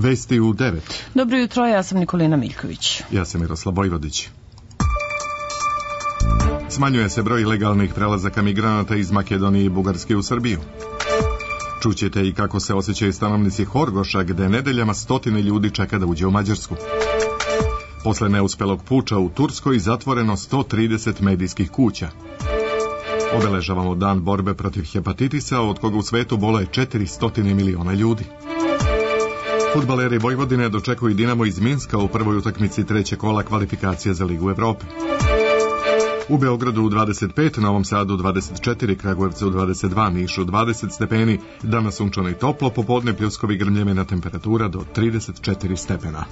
Vesti u 9. Dobro jutro, ja sam Nikolina Miljković. Ja sam Miroslav Bojvodić. Smanjuje se broj ilegalnih prelazaka migranata iz Makedonije i Bugarske u Srbiju. Čućete i kako se osjećaju stanovnici Horgoša, gde nedeljama stotine ljudi čeka da uđe u Mađarsku. Posle neuspelog puča u Turskoj zatvoreno 130 medijskih kuća. Obeležavamo dan borbe protiv hepatitisa, od koga u svetu boluje 400 miliona ljudi. Fudbaleri Vojvodine dočekuju Dinamo iz Minska u prvoj utakmici trećeg kola kvalifikacije za Ligu Evrope. U Beogradu 25, Novom Sadu 24, Kragujevcu 22, Nišu 20 stepeni, danas sunčano i toplo, popodne pljuskovi grmljevina temperatura do 34 stepena.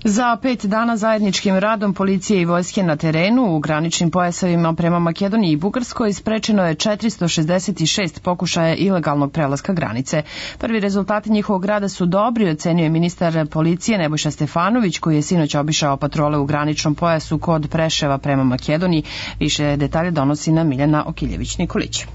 Za 5 dana zajedničkim radom policije i vojske na terenu u graničnim pojasevima prema Makedoniji i Bugarskoj sprečeno je 466 pokušaja ilegalnog prelaska granice. Prvi rezultati njihovog rada su dobri, ocenio je ministar policije Nebojša Stefanović, koji je sinoć obišao patrole u graničnom pojasu kod Preševa prema Makedoniji. Više detalje donosi nam Miljana Okiljević-Nikolić.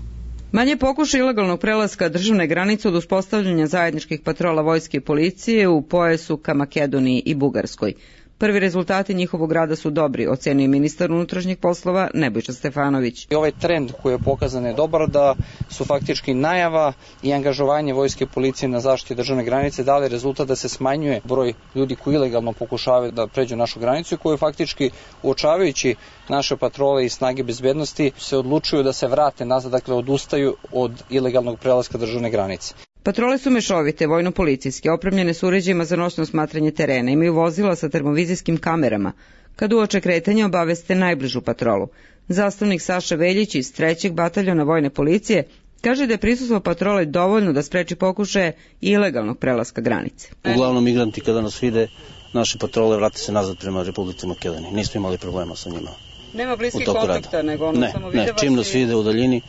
Manje pokušaj ilegalnog prelaska državne granice od uspostavljanja zajedničkih patrola vojske i policije u pojasu ka Makedoniji i Bugarskoj. Prvi rezultati njihovog rada su dobri, ocenio ministar unutrašnjih poslova Nebojša Stefanović. Ovaj trend koji je pokazan je dobar, da su faktički najava i angažovanje vojske i policije na zaštiti državne granice dali rezultat da se smanjuje broj ljudi koji ilegalno pokušavaju da pređu našu granicu i koji faktički, uočavajući naše patrole i snage bezbednosti, se odlučuju da se vrate nazad, dakle odustaju od ilegalnog prelaska državne granice. Patrole su mešovite, vojno-policijske, opremljene su uređajima za noćno smatranje terena, imaju vozila sa termovizijskim kamerama. Kad uoče kretanja obaveste najbližu patrolu. Zastavnik Saša Veljić iz 3. bataljona vojne policije kaže da je prisustvo patrole dovoljno da spreči pokušaje ilegalnog prelaska granice. Uglavnom migranti kada nas vide, naše patrole vrate se nazad prema Republici Makedoniji. Nismo imali problema sa njima. Nema bliskih kontakta, nego samo vide vas. Ne, čim nas vide u daljini,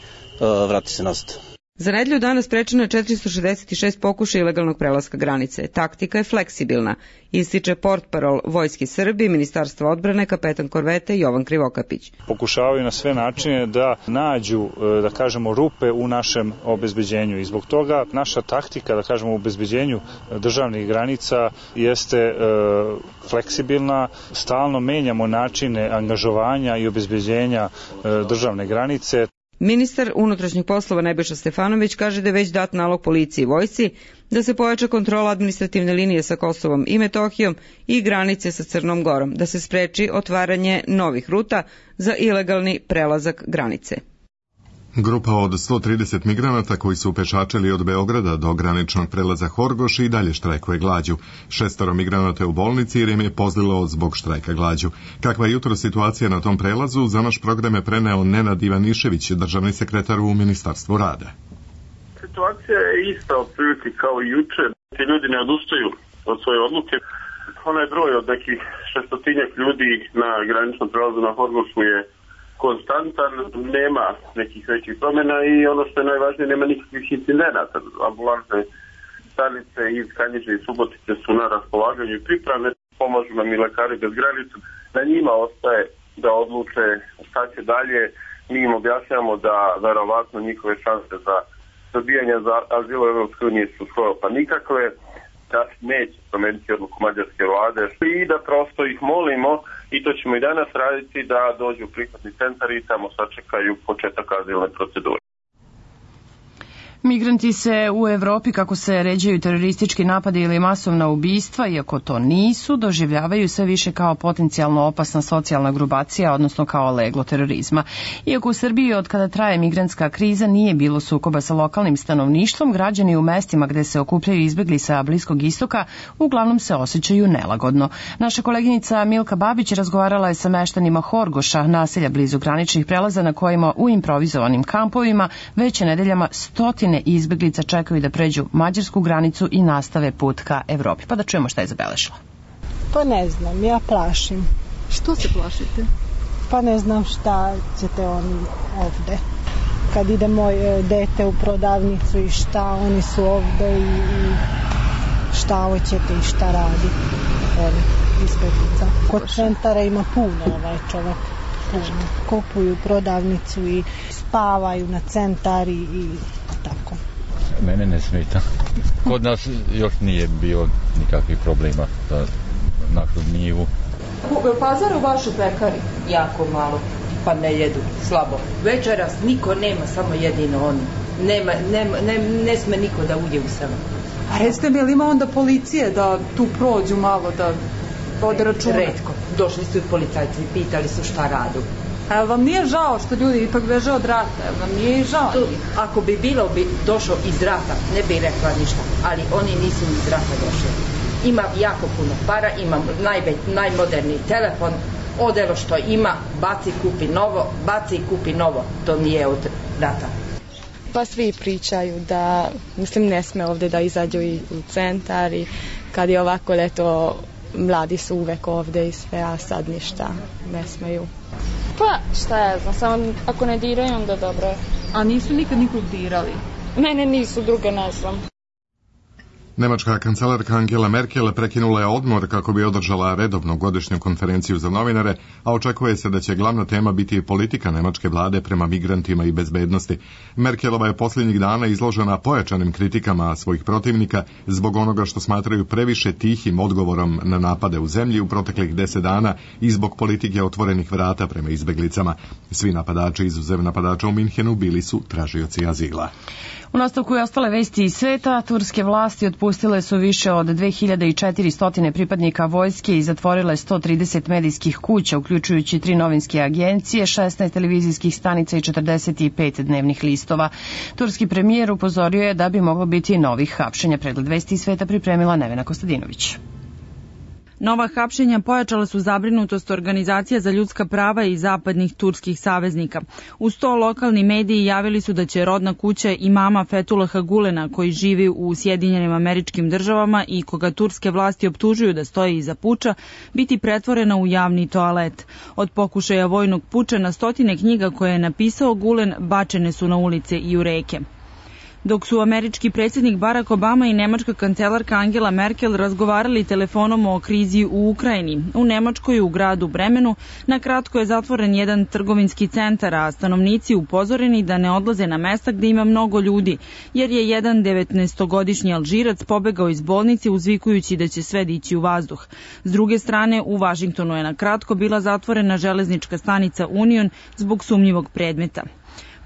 vrati se nazad. Za nedelju dana sprečeno je 466 pokušaja ilegalnog prelaska granice. Taktika je fleksibilna, ističe portparol Vojske Srbije, Ministarstva odbrane, kapetan korvete Jovan Krivokapić. Pokušavaju na sve načine da nađu, da kažemo, rupe u našem obezbeđenju i zbog toga naša taktika, da kažemo, u obezbeđenju državnih granica jeste fleksibilna. Stalno menjamo načine angažovanja i obezbeđenja državne granice. Ministar unutrašnjih poslova Nebojša Stefanović kaže da je već dat nalog policiji i vojsci da se pojača kontrola administrativne linije sa Kosovom i Metohijom i granice sa Crnom Gorom, da se spreči otvaranje novih ruta za ilegalni prelazak granice. Grupa od 130 migranata koji su pešačili od Beograda do graničnog prelaza Horgoš i dalje štrajkuje glađu. 6 migranata je u bolnici jer im je pozlilo zbog štrajka glađu. Kakva je jutro situacija na tom prelazu, za naš program je preneo Nenad Ivanišević, državni sekretar u Ministarstvu rada. Situacija je ista otprilike kao i juče. Ti ljudi ne odustaju od svoje odluke. Onaj broj od nekih 600 ljudi na graničnom prelazu na Horgošu je konstantan, nema nekih većih promjena i ono što je najvažnije, nema nikakvih incidenata. Ambulantne stanice iz Kanjiže i Subotice su na raspolaganju i pripravne, pomažu nam i lekari bez granica. Na njima ostaje da odluče šta će dalje. Mi im objašnjamo da verovatno njihove šanse za dobijanje za azil u Evropskoj uniji su skoro pa nikakve, da neće promeniti odluku mađarske vlade i da prosto ih molimo, i to ćemo i danas raditi, da dođu u prihvatni centar i tamo sačekaju početak azilne procedure. Migranti se u Evropi, kako se ređaju teroristički napadi ili masovna ubistva, iako to nisu, doživljavaju sve više kao potencijalno opasna socijalna grupacija, odnosno kao leglo terorizma. Iako u Srbiji od kada traje migrantska kriza nije bilo sukoba sa lokalnim stanovništvom, građani u mestima gde se okupljaju izbegli sa Bliskog istoka uglavnom se osjećaju nelagodno. Naša koleginica Milka Babić razgovarala je sa meštanima Horgoša, naselja blizu graničnih prelaza na kojima u improvizovanim kampovima već nedeljama stotine izbeglica čekaju da pređu mađarsku granicu i nastave put ka Evropi. Pa da čujemo šta je zabeležila. Pa ne znam, ja plašim. Što se plašite? Pa ne znam šta ćete oni ovde. Kad ide moje dete u prodavnicu i šta oni su ovde i šta hoćete i šta radi ovi izbeglica. Kod centara ima puno čovek. Kupuju prodavnicu i spavaju na centar i tako. Mene ne smeta. Kod nas još nije bilo nikakvih problema za našu njivu. Pazar u vašu pekari? Jako malo, pa ne jedu, slabo. Večeras niko nema, samo jedino oni. Ne sme niko da uđe u selo. A recite mi, ili ima onda policije da tu prođu malo, da vode računa? Retko. Došli su i policajci, pitali su šta radu. A vam nije žao što ljudi ipak beže od rata? Vam nije žao? Ako bi bilo došao iz rata, ne bi rekla ništa, ali oni nisu iz rata došli. Ima jako puno para, ima najmoderniji telefon, odelo što ima, baci kupi novo, to nije od rata. Pa svi pričaju da, ne sme ovde da izađu i u centar i kad je ovako leto, mladi su uvek ovde i sve, a sad ništa, ne smeju. Pa šta ja znam, samo ako ne diraju onda dobro je. A nisu nikad nikog dirali? Mene nisu, druge ne znam. Nemačka kancelarka Angela Merkel prekinula je odmor kako bi održala redovnu godišnju konferenciju za novinare, a očekuje se da će glavna tema biti politika nemačke vlade prema migrantima i bezbednosti. Merkelova je posljednjih dana izložena pojačanim kritikama svojih protivnika zbog onoga što smatraju previše tihim odgovorom na napade u zemlji u proteklih 10 dana i zbog politike otvorenih vrata prema izbeglicama. Svi napadači, izuzev napadača u Minhenu, bili su tražioci azila. U nastavku je ostale vesti iz sveta. Turske vlasti otpustile su više od 2400 pripadnika vojske i zatvorile 130 medijskih kuća, uključujući 3 novinske agencije, 16 televizijskih stanica i 45 dnevnih listova. Turski premijer upozorio je da bi moglo biti novih hapšenja. Pregled vesti iz sveta pripremila Nevena Kostadinović. Nova hapšenja pojačala su zabrinutost organizacija za ljudska prava i zapadnih turskih saveznika. Uz to lokalni mediji javili su da će rodna kuća imama Fethullaha Gulena, koji živi u Sjedinjenim Američkim Državama i koga turske vlasti optužuju da stoji iza puča, biti pretvorena u javni toalet. Od pokušaja vojnog puča na stotine knjiga koje je napisao Gulen bačene su na ulice i u reke. Dok su američki predsjednik Barack Obama i nemačka kancelarka Angela Merkel razgovarali telefonom o krizi u Ukrajini, u Nemačkoj u gradu Bremenu na kratko je zatvoren jedan trgovinski centar, a stanovnici upozoreni da ne odlaze na mesta gde ima mnogo ljudi, jer je jedan 19-godišnji Alžirac pobegao iz bolnice uzvikujući da će sve dići u vazduh. S druge strane, u Vašingtonu je na kratko bila zatvorena železnička stanica Union zbog sumnjivog predmeta.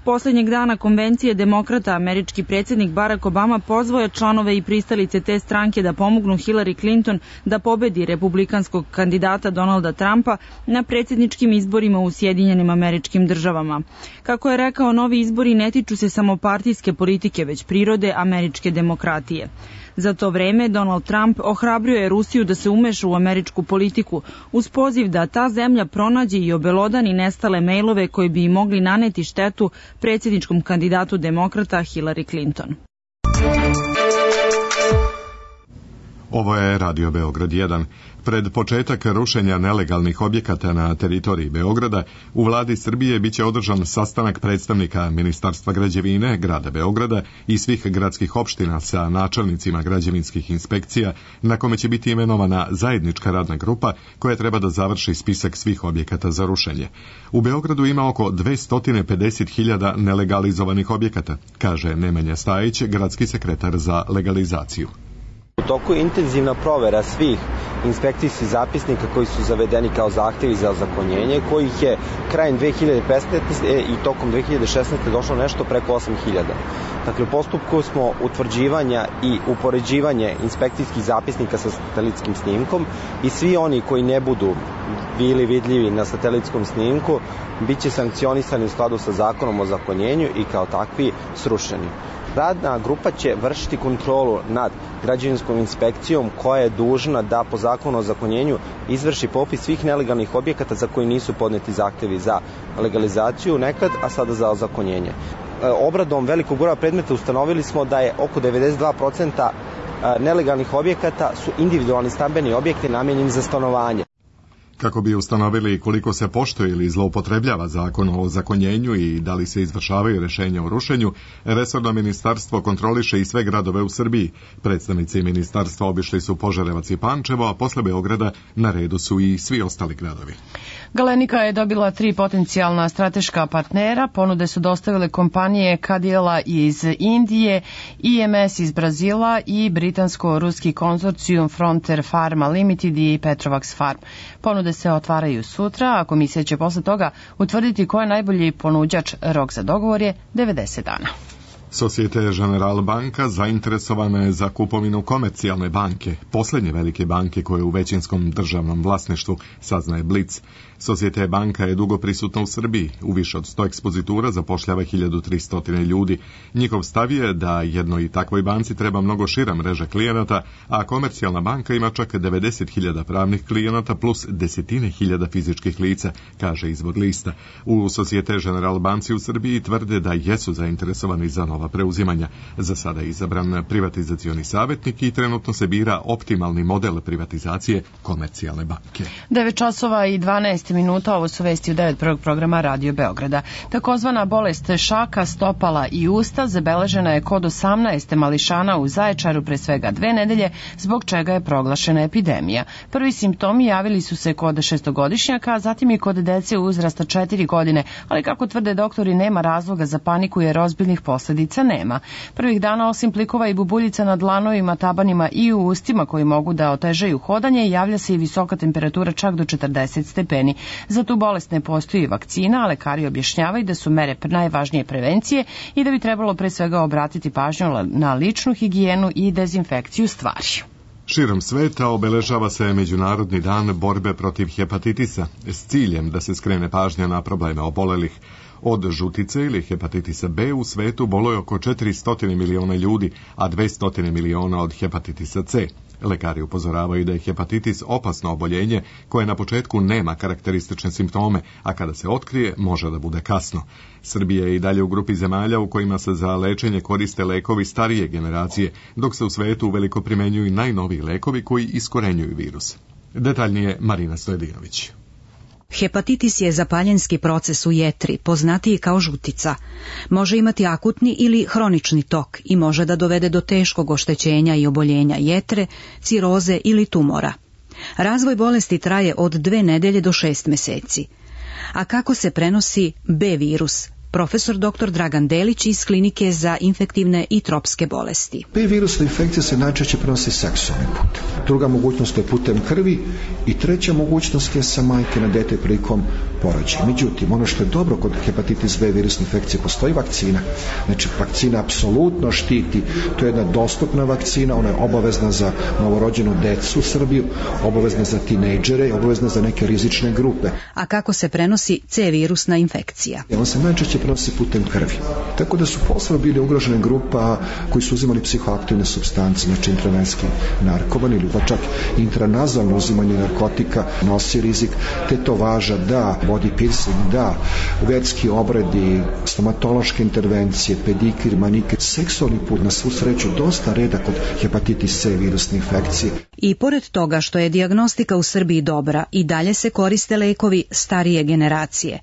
Poslednjeg dana konvencije demokrata američki predsjednik Barack Obama pozvao je članove i pristalice te stranke da pomognu Hillary Clinton da pobedi republikanskog kandidata Donalda Trumpa na predsjedničkim izborima u Sjedinjenim Američkim Državama. Kako je rekao, novi izbori ne tiču se samo partijske politike, već prirode američke demokratije. Za to vreme Donald Trump ohrabrio je Rusiju da se umeša u američku politiku uz poziv da ta zemlja pronađe i obelodani nestale mejlove koji bi im mogli naneti štetu predsjedničkom kandidatu demokrata Hillary Clinton. Ovo je Radio Beograd 1. Pred početak rušenja nelegalnih objekata na teritoriji Beograda, u vladi Srbije biće održan sastanak predstavnika Ministarstva građevine, grada Beograda i svih gradskih opština sa načelnicima građevinskih inspekcija, na kome će biti imenovana zajednička radna grupa koja treba da završi spisak svih objekata za rušenje. U Beogradu ima oko 250.000 nelegalizovanih objekata, kaže Nemanja Stajić, gradski sekretar za legalizaciju. U toku je intenzivna provera svih inspekcijskih zapisnika koji su zavedeni kao zahtevi za ozakonjenje, kojih je krajem 2015. i tokom 2016. došlo nešto preko 8.000. Dakle, u postupku smo utvrđivanja i upoređivanje inspekcijskih zapisnika sa satelitskim snimkom i svi oni koji ne budu bili vidljivi na satelitskom snimku biće sankcionisani u skladu sa zakonom o ozakonjenju i kao takvi srušeni. Radna grupa će vršiti kontrolu nad građevinskom inspekcijom koja je dužna da po zakonu o ozakonjenju izvrši popis svih nelegalnih objekata za koji nisu podneti zahtevi za legalizaciju nekad, a sada za ozakonjenje. Obradom velikog broja predmeta ustanovili smo da je oko 92% nelegalnih objekata su individualni stambeni objekti namenjeni za stanovanje. Kako bi ustanovili koliko se poštuje ili zloupotrebljava zakon o ozakonjenju i da li se izvršavaju rešenja o rušenju, resorno ministarstvo kontroliše i sve gradove u Srbiji. Predstavnici ministarstva obišli su Požarevac i Pančevo, a posle Beograda na redu su i svi ostali gradovi. Galenika je dobila 3 potencijalna strateška partnera. Ponude su dostavile kompanije Cadila iz Indije, IMS iz Brazila i britansko-ruski konzorcijum Frontier Pharma Limited i Petrovax Farm. Ponude se otvaraju sutra, a komisija će posle toga utvrditi ko je najbolji ponuđač. Rok za dogovor je 90 dana. Societe Generale banka zainteresovana je za kupovinu Komercijalne banke, posljednje velike banke koje je u većinskom državnom vlasništvu, saznaje Blic. Societe banka je dugo prisutna u Srbiji, u više od 100 ekspozitura zapošljava 1300 ljudi. Njihov stav je da jednoj takvoj banci treba mnogo šira mreža klijenata, a Komercijalna banka ima čak 90.000 pravnih klijenata plus desetine hiljada fizičkih lica, kaže izvor lista. U Societe Generale banci u Srbiji tvrde da jesu zainteresovani za nova preuzimanja. Za sada je izabran privatizacioni savjetnik i trenutno se bira optimalni model privatizacije Komercijalne banke. 9 časova i 12 minuta, ovo su vesti u 9. programa Radio Beograda. Takozvana bolest šaka, stopala i usta zabeležena je kod 18 mališana u Zaječaru pre svega 2 nedelje, zbog čega je proglašena epidemija. Prvi simptomi javili su se kod 6-godišnjaka, a zatim i kod dece uzrasta 4 godine, ali kako tvrde doktori nema razloga za paniku jer ozbiljnih posljedica nema. Prvih dana osim plikova i bubuljica na dlanovima, tabanima i u ustima koji mogu da otežaju hodanje, javlja se i visoka temperatura čak do 40 stepeni. Za tu bolest ne postoji vakcina, a lekari objašnjavaju da su mere najvažnije prevencije i da bi trebalo pre svega obratiti pažnju na ličnu higijenu i dezinfekciju stvari. Širom sveta obeležava se Međunarodni dan borbe protiv hepatitisa s ciljem da se skrene pažnja na probleme obolelih. Od žutice ili hepatitisa B u svetu boluje oko 400 miliona ljudi, a 200 miliona od hepatitisa C. Lekari upozoravaju da je hepatitis opasno oboljenje koje na početku nema karakteristične simptome, a kada se otkrije može da bude kasno. Srbija je i dalje u grupi zemalja u kojima se za lečenje koriste lekovi starije generacije, dok se u svetu uveliko primenjuju i najnoviji lekovi koji iskorenjuju virus. Detaljnije Marina Stojedinović. Hepatitis je zapaljenski proces u jetri, poznatiji kao žutica. Može imati akutni ili hronični tok i može da dovede do teškog oštećenja i oboljenja jetre, ciroze ili tumora. Razvoj bolesti traje od 2 nedelje do 6 meseci. A kako se prenosi B virus? Profesor dr. Dragan Delić iz Klinike za infektivne i tropske bolesti. B virusna infekcija se najčešće prenosi seksualnim putem. Druga mogućnost je putem krvi i treća mogućnost je sa majke na dete prilikom porođaja. Međutim, ono što je dobro kod hepatitis B virusne infekcije, postoji vakcina. Znači, vakcina apsolutno štiti. To je jedna dostupna vakcina, ona je obavezna za novorođenu decu u Srbiju, obavezna za tinejdžere i obavezna za neke rizične grupe. A kako se prenosi C virusna infekcija? On se najčešće prenosi putem krvi. Tako da su posebno bili ugrožene grupa koji su uzimali psihoaktivne supstance, znači intravenski narkoman ili pa čak intranazalno uzimanje narkotika nosi rizik, tetovaža da, body piercing da, vetski obredi, stomatološke intervencije, pedikir, manikir, seksualni put na svu sreću dosta reda kod hepatitis C virusne infekcije. I pored toga što je dijagnostika u Srbiji dobra, i dalje se koriste lekovi starije generacije.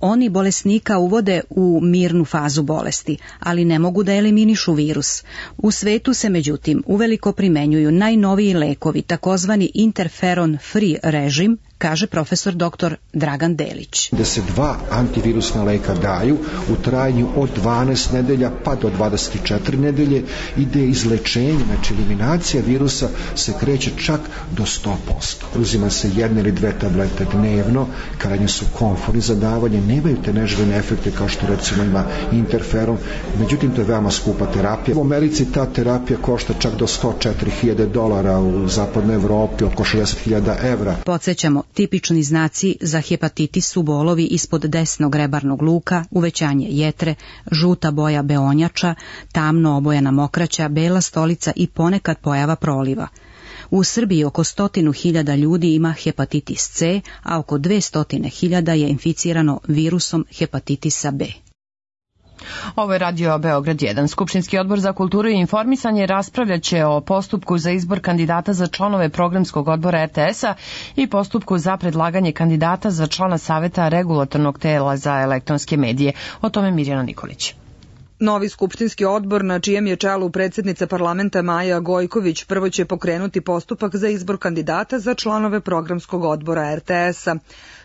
Oni bolesnika uvode u mirnu fazu bolesti, ali ne mogu da eliminišu virus. U svetu se međutim uveliko primenjuju najnoviji lekovi, takozvani interferon free režim, kaže profesor dr. Dragan Delić. Da se 2 antivirusna leka daju u trajanju od 12 nedelja pa do 24 nedelje, ide izlečenje, znači eliminacija virusa se kreće čak do 100%. Uzima se 1 ili 2 tablete dnevno, krajnje su komfortni za davanje, nemaju te neželjene efekte kao što recimo ima interferon, međutim to je veoma skupa terapija. U Americi ta terapija košta čak do $104.000, u zapadnoj Evropi oko 60.000 evra. Podsjećamo, tipični znaci za hepatitis su bolovi ispod desnog rebarnog luka, uvećanje jetre, žuta boja beonjača, tamno obojana mokraća, bela stolica i ponekad pojava proliva. U Srbiji oko 100.000 ljudi ima hepatitis C, a oko 200.000 je inficirano virusom hepatitisa B. Ovo je Radio Beograd 1. Skupštinski odbor za kulturu i informisanje raspravljaće o postupku za izbor kandidata za članove programskog odbora RTS-a i postupku za predlaganje kandidata za člana Saveta regulatornog tela za elektronske medije. O tome Mirjana Nikolić. Novi skupštinski odbor, na čijem je čelu predsjednica parlamenta Maja Gojković, prvo će pokrenuti postupak za izbor kandidata za članove programskog odbora RTS-a.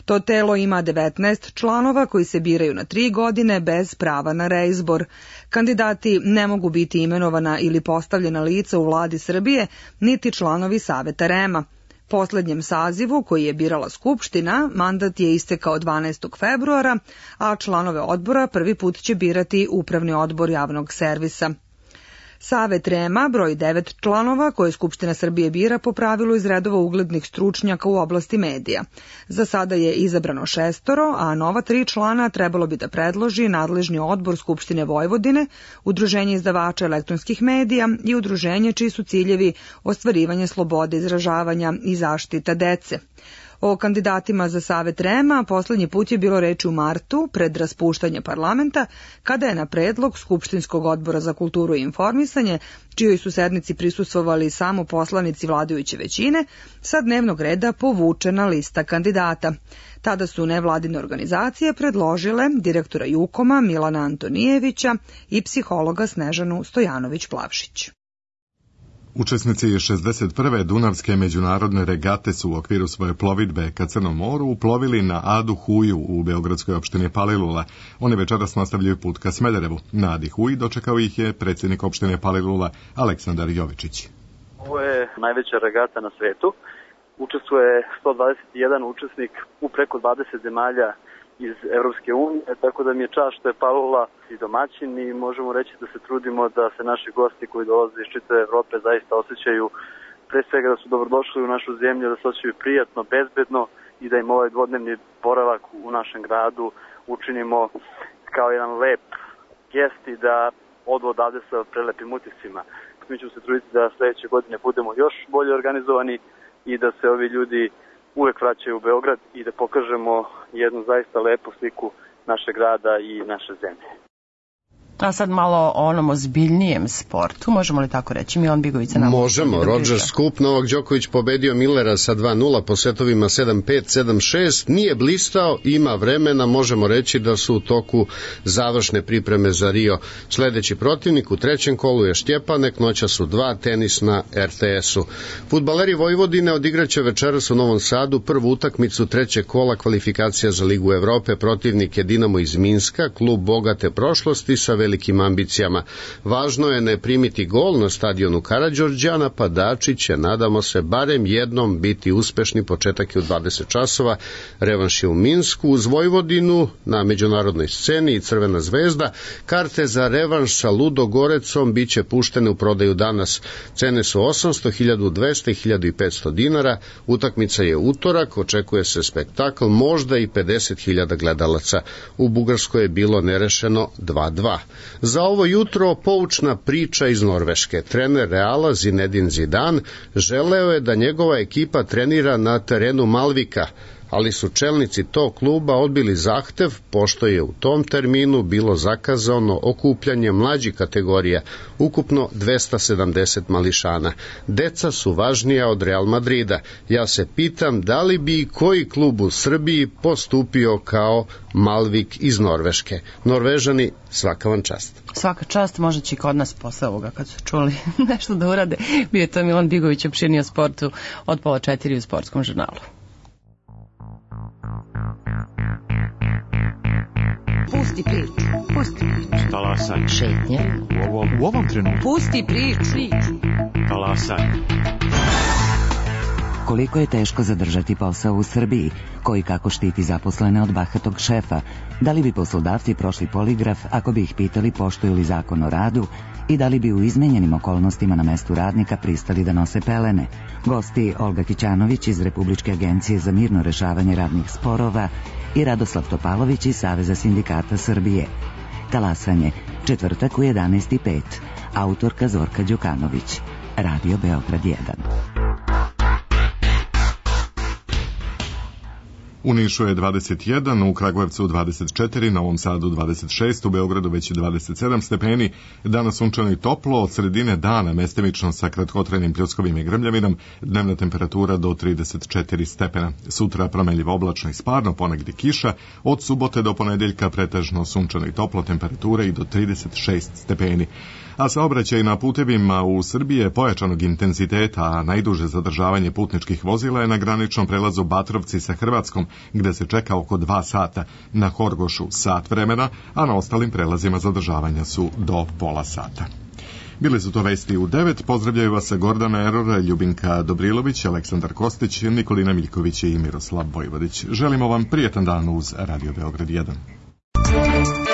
To telo ima 19 članova koji se biraju na 3 godine bez prava na reizbor. Kandidati ne mogu biti imenovana ili postavljena lica u vladi Srbije, niti članovi Saveta REM-a. Poslednjem sazivu, koji je birala Skupština, mandat je istekao 12. februara, a članove odbora prvi put će birati Upravni odbor javnog servisa. Savet REM-a broji 9 članova koje Skupština Srbije bira po pravilu iz redova uglednih stručnjaka u oblasti medija. Za sada je izabrano 6, a nova 3 člana trebalo bi da predloži nadležni odbor Skupštine Vojvodine, Udruženje izdavača elektronskih medija i udruženje čiji su ciljevi ostvarivanje slobode izražavanja i zaštita dece. O kandidatima za Savet REM-a poslednji put je bilo reči u martu, pred raspuštanje parlamenta, kada je na predlog Skupštinskog odbora za kulturu i informisanje, čijoj su sednici prisustvovali samo poslanici vladajuće većine, sa dnevnog reda povučena lista kandidata. Tada su nevladine organizacije predložile direktora Jukoma Milana Antonijevića i psihologa Snežanu Stojanović-Plavšić. Učesnici 61. Dunavske međunarodne regate su u okviru svoje plovidbe ka Crnom moru uplovili na Adu Huju u beogradskoj opštini Palilula. Oni večeras nastavljaju put ka Smederevu. Na Adi Huji dočekao ih je predsjednik opštine Palilula Aleksandar Jovičić. Ovo je najveća regata na svetu. Učestvuje 121 učesnik u preko 20 zemalja iz Evropske unije, tako da mi je čast što je Palilula i domaćin i možemo reći da se trudimo da se naši gosti koji dolaze iz čitave Evrope zaista osjećaju, pre svega da su dobrodošli u našu zemlju, da se osjećaju prijatno, bezbedno i da im ovaj dvodnevni boravak u našem gradu učinimo kao jedan lep gest i da odu odavde sa prelepim utiscima. Mi ćemo se truditi da sledeće godine budemo još bolje organizovani i da se ovi ljudi uvek vraćaju u Beograd i da pokažemo jednu zaista lepu sliku našeg grada i naše zemlje. A sad malo o onom ozbiljnijem sportu, možemo li tako reći? Milan Bigović se nam... Možemo, Roger Skup, Novak Đoković pobedio Millera sa 2-0 po setovima 7-5, 7-6, nije blistao, ima vremena, možemo reći da su u toku završne pripreme za Rio. Sledeći protivnik u trećem kolu je Štjepanek, noća su 2, tenis na RTS-u. Fudbaleri Vojvodine odigraće večeras u Novom Sadu prvu utakmicu trećeg kola kvalifikacija za Ligu Evrope, protivnik je Dinamo iz Minska, klub bogate prošlosti sa velikim ambicijama. Važno je ne primiti gol na stadionu Karađorđa, napadači će, nadamo se, barem jednom biti uspešni. Početak je u 20 časova, revanš je u Minsku. Uz Vojvodinu na međunarodnoj sceni i Crvena zvezda. Karte za revanš sa Ludogorecom biće puštene u prodaju danas. Cene su 800, 1200 i 1500 dinara. Utakmica je utorak, očekuje se spektakl, možda i 50.000 gledalaca. U Bugarskoj je bilo nerešeno 2-2. Za ovo jutro poučna priča iz Norveške. Trener Reala Zinedine Zidane želeo je da njegova ekipa trenira na terenu Malvika, ali su čelnici tog kluba odbili zahtev, pošto je u tom terminu bilo zakazano okupljanje mlađih kategorija, ukupno 270 mališana. Deca su važnija od Real Madrida. Ja se pitam da li bi koji klub u Srbiji postupio kao Malvik iz Norveške. Norvežani, svaka vam čast. Svaka čast, možda će i kod nas posle ovoga kad su čuli nešto da urade. Bio je to Milan Bigović opširnio sportu od 3:30 u Sportskom žurnalu. Pusti priču. Pusti priču. Talasaj. Šetnje. U ovom trenutku. Pusti priču. Talasaj. Koliko je teško zadržati posao u Srbiji, koji kako štiti zaposlene od bahatog šefa, da li bi poslodavci prošli poligraf ako bi ih pitali poštuju li zakon o radu i da li bi u izmenjenim okolnostima na mestu radnika pristali da nose pelene. Gosti Olga Kićanović iz Republičke agencije za mirno rešavanje radnih sporova i Radoslav Topalović iz Saveza sindikata Srbije. Talasanje, četvrtak u 11:05. Autorka Zorka Đukanović. Radio Beograd 1. U Nišu je 21, u Kragujevcu 24, Novom Sadu 26, u Beogradu već 27 stepeni, danas sunčano i toplo, od sredine dana mestimično sa kratkotrajnim pljuskovim i grmljavinom, dnevna temperatura do 34 stepena. Sutra promenljivo oblačno i sparno, ponegdje kiša, od subote do ponedeljka pretežno sunčano i toplo, temperature i do 36 stepeni. A saobraćaj na putevima u Srbiji je pojačanog intenziteta, a najduže zadržavanje putničkih vozila je na graničnom prelazu Batrovci sa Hrvatskom, gde se čeka oko 2 sata, na Horgošu sat vremena, a na ostalim prelazima zadržavanja su do pola sata. Bile su to vesti u 9, pozdravljaju vas Gordana Erora, Ljubinka Dobrilović, Aleksandar Kostić, Nikolina Miljković i Miroslav Vojvodić. Želimo vam prijetan dan uz Radio Beograd 1.